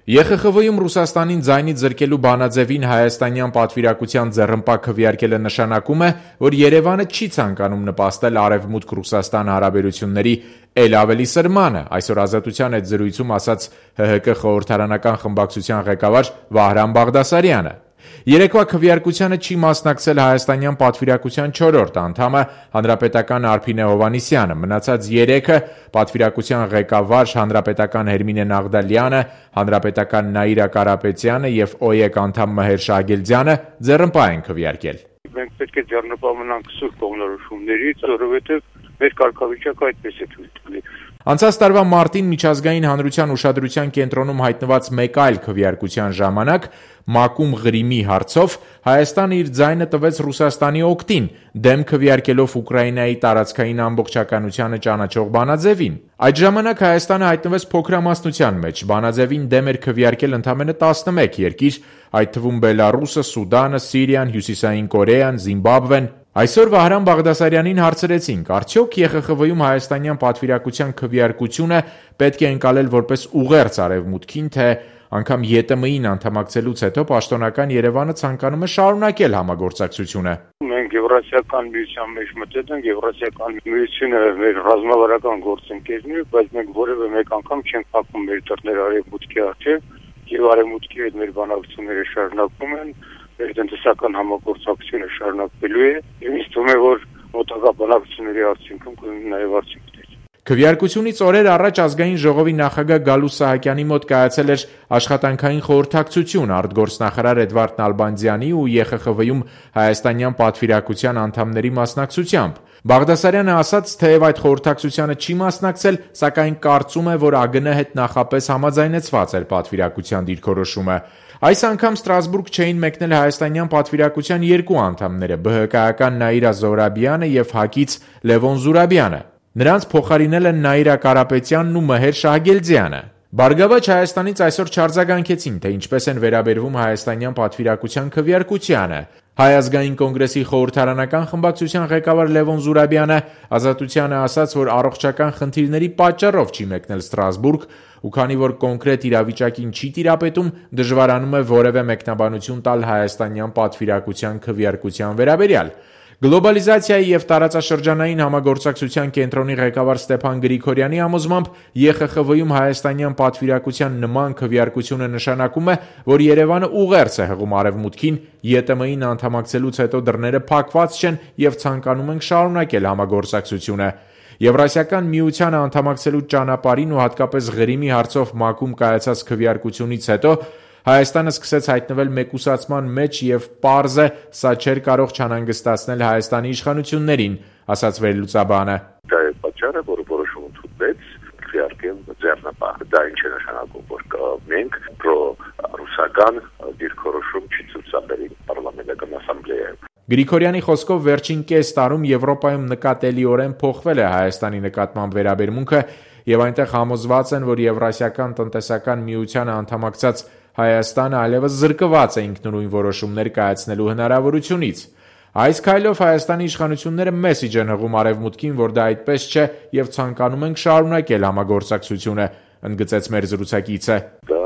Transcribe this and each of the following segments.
ԵԽԽՎ-ում Ռուսաստանին ձայնից զրկելու բանաձևին հայաստանյան պատվիրակության ձեռնպա քվեարկելը նշանակում է, որ Երևանը չի ցանկանում նպաստել Արևմուտք-Ռուսաստան հարաբերությունների էլ ավելի սրմանը, այսօր Ազատության հետ զրույցում ասաց ՀՀԿ խորհրդարանական խմբակցության ղեկավար Վահրամ Բաղդասարյանը։ Երեկվա քվեարկությանը չի մասնակցել հայաստանյան պատվիրակության 4-րդ անդամը հանրապետական Արփինե Հովհաննիսյանը, մնացած 3-ը պատվիրակության ղեկավար հանրապետական Հերմինե Նաղդալյանը, հանրապետական Նաիրա Կարապետյանը եւ ՕԵԿ անդամ Մհեր Շահգիլձյանը ձեռնպա են քվեարկել։ Մենք պետք է ձեռնպա մնանք սուրբ կողմնորոշումներից, որովհետեւ մեր կարգավիճակը այդպես է ցույց տալիս։ Անցած տարվա մարտին միջազգային հանրության ուշադրության կենտրոնում հայտնված մեկ այլ քվեարկության ժամանակ ՄԱԿ-ում Ղրիմի հարցով Հայաստանը իր ձայնը տվեց Ռուսաստանի օգտին, դեմ քվեարկելով Ուկրաինայի տարածքային ամբողջականությանը ճանաչող բանաձևին։ Այդ ժամանակ Հայաստանը հայտնվեց փոքրամասնության մեջ, բանաձևին դեմ էր քվեարկել ընդամենը 11 երկիր, այդ թվում Բելառուսը, Սուդանը, Սիրիան, Հյուսիսային Կորեան, Զիմբաբվեն։ Այսօր Վահրամ Բաղդասարյանին հարցրեցինք, արդյոք ԵԽԽՎ-ում հայաստանյան պատվիրակության քվեարկությունը պետք է ընկալել որպես ուղերձ Արևմուտքին, թե անգամ ԵՏՄ-ին անդամակցելուց հետո պաշտոնական Երևանը ցանկանում է շարունակել համագործակցությունը։ Մենք Եվրասիական միության մեջ մտել ենք, Եվրասիական միությունը մեր ռազմավարական գործընկերն է, բայց մենք որևէ մեկ անգամ չենք փակում մեր դռները Արևմուտքի առջև, եւ Արևմուտքի հետ մեր բանակցությունները շարունակվում են, մեր տնտեսական համագործակցությունը շարունակվելու է, եւ ինձ թվում է, որ մոտակա բանակցությունների արդյունքում կլինի նաեւ արդյունքներ։ Քվեարկությունից օրեր առաջ Ազգային ժողովի նախագահ Գալուստ Սահակյանի մոտ կայացել էր աշխատանքային խորհրդակցություն արտգործնախարար Էդվարդ Նալբանդյանի ու ԵԽԽՎ-ում հայաստանյան պատվիրակության անդամների մասնակցությամբ։ Բաղդասարյանը ասաց, թեև այդ խորհրդակցությանը չի մասնակցել, սակայն կարծում է, որ ԱԳՆ հետ նախապես համաձայնեցված էր պատվիրակության դիրքորոշումը։ Այս անգամ Ստրասբուրգ չէին մեկնել հայաստանյան պատվիրակության երկու անդամները՝ ԲՀԿ-ական Նաիրա Զոհրաբյանը եւ ՀԱԿ-ից Լևոն Զուրաբյանը։ Նրանց փոխարինել են Նաիրա Կարապետյանն ու Մհեր Շահգիլձյանը։ Բարգավաճ Հայաստանից այսօր չարձագանքեցին, թե ինչպես են վերաբերվում հայաստանյան պատվիրակության քվեարկությանը։ Հայ ազգային կոնգրեսի խորհրդարանական խմբակցության ղեկավար Լևոն Զուրաբյանը Ազատությանը ասաց, որ առողջական խնդիրների պատճառով չի մեկնել Ստրասբուրգ, ու քանի որ կոնկրետ իրավիճակին չի տիրապետում, դժվարանում է որևէ մեկնաբանություն տալ հայաստանյան պատվիրակության քվեարկության վերաբերյալ։ Գլոբալիզացիայի եւ տարածաշրջանային համագործակցության կենտրոնի ղեկավար Ստեփան Գրիգորյանի համոզմամբ ԵԽԽՎ-ում հայաստանյան պատվիրակության նման քվեարկությունը նշանակում է, որ Երևանը ուղերձ է հղում Արևմուտքին, ԵՏՄ-ին անդամակցելուց հետո դռները փակված չեն եւ ցանկանում ենք շարունակել համագործակցությունը։ Եվրասիական միությանը անդամակցելու ճանապարհին ու հատկապես Ղրիմի հարցով ՄԱԿ-ում կայացած քվեարկությունից հետո Հայաստանը սկսեց հայտնվել մեկուսացման մեջ եւ պարզ է, սա չէր կարող չանհանգստացնել Հայաստանի իշխանություններին, ասաց վերլուծաբանը։ Դա է պատճառը, որը որոշում ընդունվեց քվեարկել ձեռնպահ։ Դա ինչ է նշանակում, որ մենք պրո-ռուսական դիրքորոշում չցուցաբերի պարլամենտական ասամբլեայում։ Գրիգորյանի խոսքով վերջին կես տարում Եվրոպայում նկատելիորեն փոխվել է Հայաստանի նկատմամբ վերաբերմունքը եւ այնտեղ համոզված են, որ Եվրասիական տնտեսական միությանը անդամակցած Հայաստանը այլևս զրկված է ինքնուրույն որոշումներ կայացնելու հնարավորությունից։ Այս քայլով Հայաստանի իշխանությունները մեսիջ են հղում Արևմուտքին, որ դա այդպես չէ եւ ցանկանում են շարունակել համագործակցությունը, ընդգծեց մեր զրուցակիցը։ Դա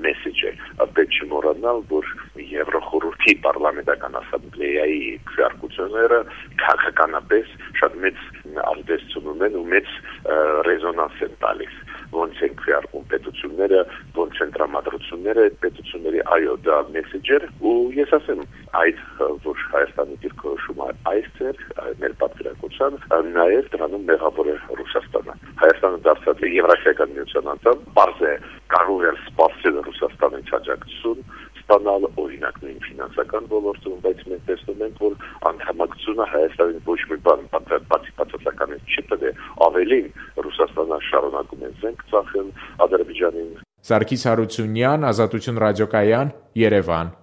մեսիջ է, պետք չի մոռանալ, որ Եվրոխորհրդի պարլամենտական ասամբլեայի քվեարկությունները քաղաքականապես շատ մեծ ազդեցություն ունեն ու մեծ ռեզոնանս են տալիս։ Ոնց են քվեարկում պետությունները, ոնց են տրամադրությունները այդ պետությունների, այո, դա մեսեջեր ու ես ասեմ, այդ որ Հայաստանի դիրքորոշումը այս ձեր մեր պատվիրակության նաև դրանում մեղավոր է Ռուսաստանը։ Հայաստանը դարձած է Եվրասիական միության անդամ, բարձ է կարող է սպասել Ռուսաստանից աջակցություն ստանալ օրինակ նույն ֆինանսական ոլորտում, բայց մենք տեսնում ենք, որ անդամակցությունը Հայաստանին ոչ մի բան բացասականից չի տվել, ավելին Ռուսաստանը շարունակում է զենք ծախել Ադրբեջանին։ Սարգիս Հարությունյան, Ազատություն ռադիոկայան, Երևան։